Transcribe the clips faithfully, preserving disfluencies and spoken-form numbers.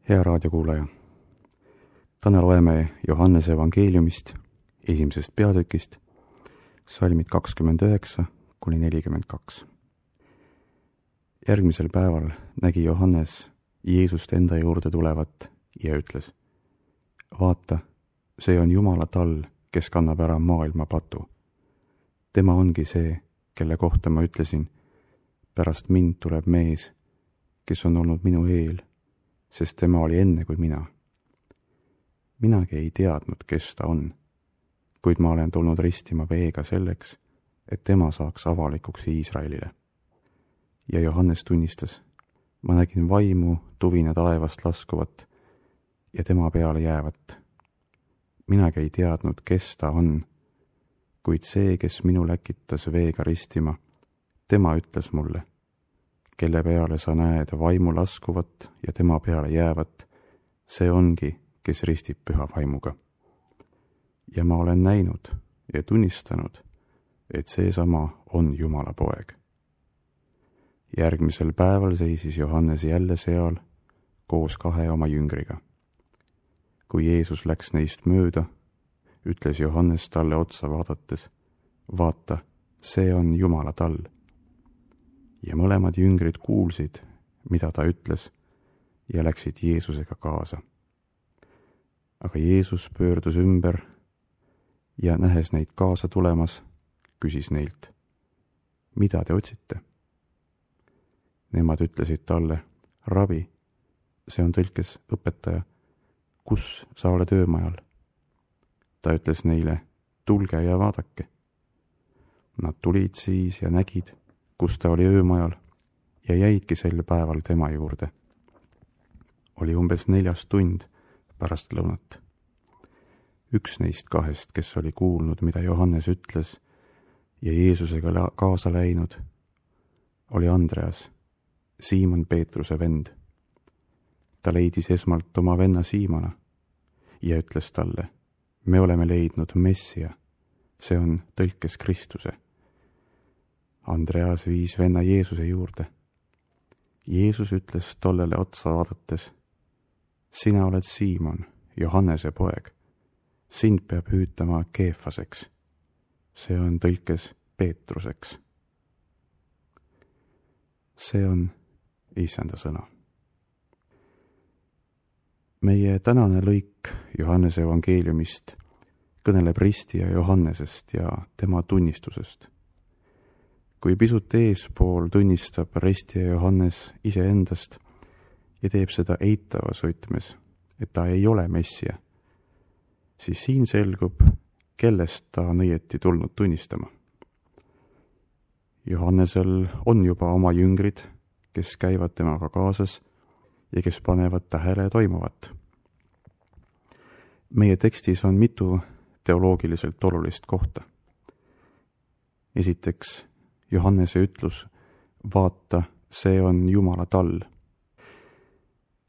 Hea raadiokuulaja, täna loeme Johannese evangeeliumist esimesest peatükist, salmid kakskümmend üheksa kuni nelikümmend kaks. Järgmisel päeval nägi Johannes Jeesust enda juurde tulevat ja ütles: vaata, see on Jumala tall, kes kannab ära maailma patu. Tema ongi see, kelle kohta ma ütlesin, pärast mind tuleb mees, kes on olnud minu eel, sest tema oli enne kui mina. Minagi ei teadnud, kes ta on, kuid ma olen tulnud ristima veega selleks, et tema saaks avalikuks Iisraelile. Ja Johannes tunnistas: ma nägin vaimu tuvina taevast laskuvat ja tema peale jäävat. Minagi ei teadnud, kes ta on, kuid see, kes minu läkitas veega ristima, tema ütles mulle: kelle peale sa näed vaimu laskuvat ja tema peale jäävat, see ongi, kes ristib püha vaimuga. Ja ma olen näinud ja tunnistanud, et seesama on Jumala poeg. Järgmisel päeval seisis Johannes jälle seal koos kahe oma jüngriga. Kui Jeesus läks neist mööda, ütles Johannes talle otsa vaadates: vaata, see on Jumala tall. Ja mõlemad jüngrid kuulsid, mida ta ütles, ja läksid Jeesusega kaasa. Aga Jeesus pöördus ümber ja nähes neid kaasa tulemas, küsis neilt: mida te otsite? Nemad ütlesid talle: rabi, see on tõlkes õpetaja, kus sa oled öömajal? Ta ütles neile: tulge ja vaadake. Nad tulid siis ja nägid, kus ta oli öömajal, ja jäidki sel päeval tema juurde. Oli umbes neljas tund pärast lõunat. Üks neist kahest, kes oli kuulnud, mida Johannes ütles ja Jeesusega kaasa läinud, oli Andreas, Siimon Peetruse vend. Ta leidis esmalt oma venna Siimona ja ütles talle: me oleme leidnud Messia, see on tõlkes Kristuse. Andreas viis venna Jeesuse juurde. Jeesus ütles tollele otsa vaadates: sina oled Siimon, Johannese poeg. Sind peab hüütama Keefaseks. See on tõlkes Peetruseks. See on Issanda sõna. Meie tänane lõik Johannese evangeeliumist kõneleb ristija Johannesest ja tema tunnistusest. Kui pisut eespool tunnistab ristija Johannes iseendast ja teeb seda eitavas võtmes, et ta ei ole Messia, siis siin selgub, kellest ta on õieti tulnud tunnistama. Johannesel on juba oma jüngrid, kes käivad temaga kaasas ja kes panevad tähele toimuvat. Meie tekstis on mitu teoloogiliselt olulist kohta. Esiteks, Johannese ütlus: vaata, see on Jumala tall.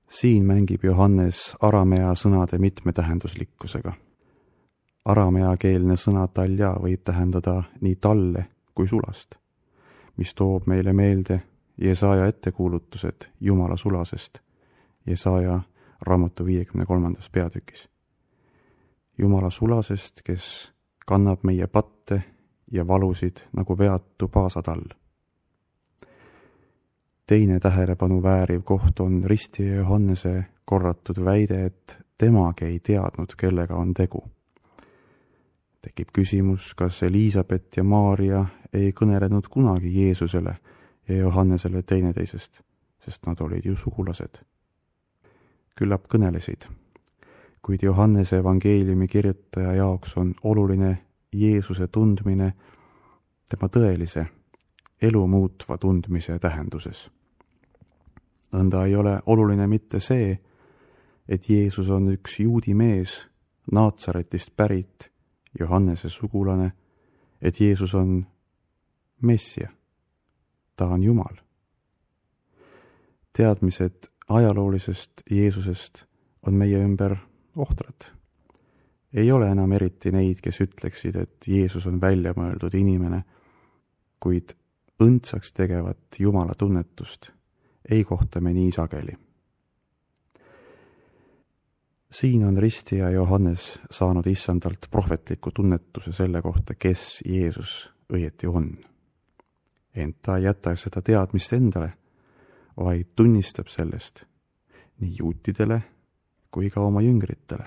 Siin mängib Johannes aramea sõnade mitmetähenduslikkusega. Arameakeelne sõna talja võib tähendada nii talle kui sulast, mis toob meile meelde Jesaja ettekuulutused Jumala sulasest Jesaja raamatu viiekümne kolmandas peatükis. Jumala sulasest, kes kannab meie patte ja valusid nagu veatu paasatall. Teine tähelepanu vääriv koht on ristija Johannese korratud väide, et temagi ei teadnud, kellega on tegu. Tekib küsimus, kas Elisabet ja Maaria ei kõnelenud kunagi Jeesusele ja Johannesele teineteisest, sest nad olid ju sugulased. Küllap kõnelesid, kuid Johannese evangeeliumi kirjutaja jaoks on oluline Jeesuse tundmine tema tõelise, elu muutva tundmise tähenduses. Nõnda ei ole oluline mitte see, et Jeesus on üks juudi mees, Naatsaretist pärit, Johannese sugulane, et Jeesus on Messia. Ta on Jumal. Teadmised ajaloolisest Jeesusest on meie ümber ohtrad. Ei ole enam eriti neid, kes ütleksid, et Jeesus on välja mõeldud inimene, kuid õndsaks tegevat Jumala tunnetust ei kohta me nii sageli. siin on ristija Johannes saanud issandalt prohvetliku tunnetuse selle kohta, kes Jeesus õieti on. Ent ta ei jäta seda teadmist endale, vaid tunnistab sellest nii juutidele kui ka oma jüngritele.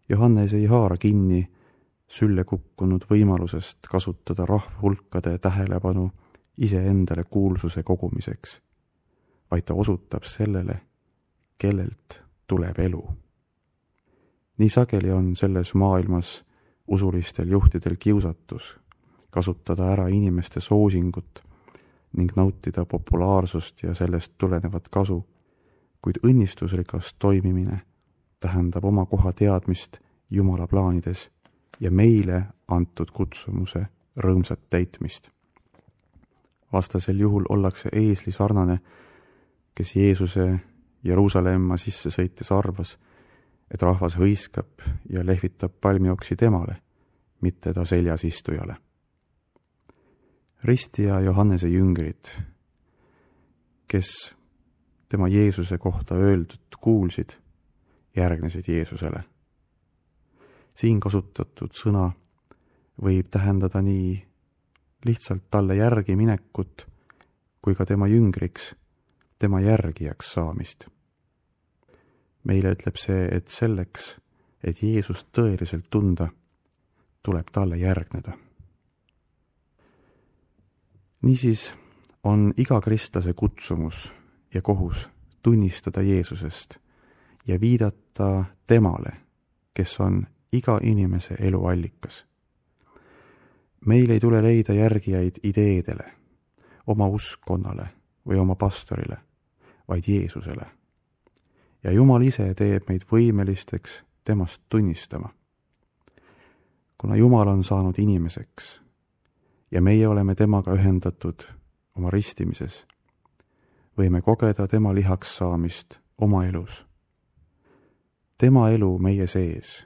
Johannes ei haara kinni sülle kukkunud võimalusest kasutada rahvahulkade tähelepanu iseendale kuulsuse kogumiseks, vaid ta osutab sellele, kellelt tuleb elu. Nii sageli on selles maailmas usulistel juhtidel kiusatus kasutada ära inimeste soosingut ning nautida populaarsust ja sellest tulenevat kasu, kuid õnnistusrikas toimimine tähendab oma koha teadmist Jumala plaanides ja meile antud kutsumuse rõõmsat täitmist. Vastasel juhul ollakse eesli sarnane, kes Jeesuse Jeruusalemma sisse sõites arvas, et rahvas hõiskab ja lehvitab palmioksi temale, mitte ta seljas istujale. Ristija Johannese jüngrid, kes tema Jeesuse kohta öeldud kuulsid, järgnesid Jeesusele. Siin kasutatud sõna võib tähendada nii lihtsalt talle järgi minekut kui ka tema jüngriks, tema järgijaks saamist. Meile ütleb see, et selleks, et Jeesust tõeliselt tunda, tuleb talle järgneda. Niisiis on iga kristlase kutsumus ja kohus tunnistada Jeesusest ja viidata temale, kes on iga inimese elu allikas. Meil ei tule leida järgijaid ideedele, oma uskkonnale või oma pastorile, vaid Jeesusele. Ja Jumal ise teeb meid võimelisteks temast tunnistama. Kuna Jumal on saanud inimeseks ja meie oleme temaga ühendatud oma ristimises, võime kogeda tema lihaks saamist oma elus. Tema elu meie sees,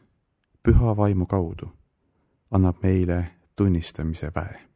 püha vaimu kaudu, annab meile tunnistamise väe.